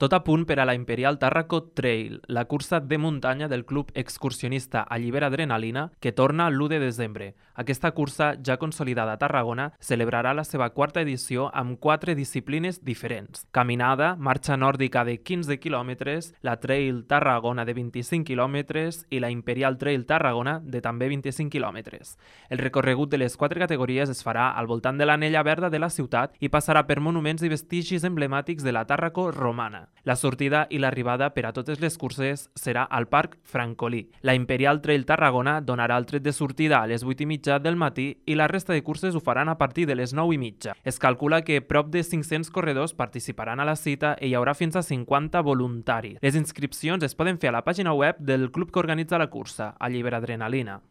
Tot a punt per a la Imperial Tàrraco Trail, la cursa de muntanya del club excursionista Allibera Adrenalina, que torna l'1 de desembre. Aquesta cursa, ja consolidada a Tarragona, celebrarà la seva quarta edició amb 4 disciplines diferents. Caminada, marxa nòrdica de 15 quilòmetres, la Trail Tarragona de 25 quilòmetres i la Imperial Trail Tarragona de també 25 quilòmetres. El recorregut de les 4 categories es farà al voltant de l'anella verda de la ciutat i passarà per monuments i vestigis emblemàtics de la Tàrraco romana. La sortida i l'arribada per a totes les curses serà al Parc Francolí. La Imperial Trail Tarragona donarà el tret de sortida a les 8:30 del matí i la resta de curses ho faran a partir de les 9:30. Es calcula que prop de 500 corredors participaran a la cita i hi haurà fins a 50 voluntaris. Les inscripcions es poden fer a la pàgina web del club que organitza la cursa, Allibera Adrenalina.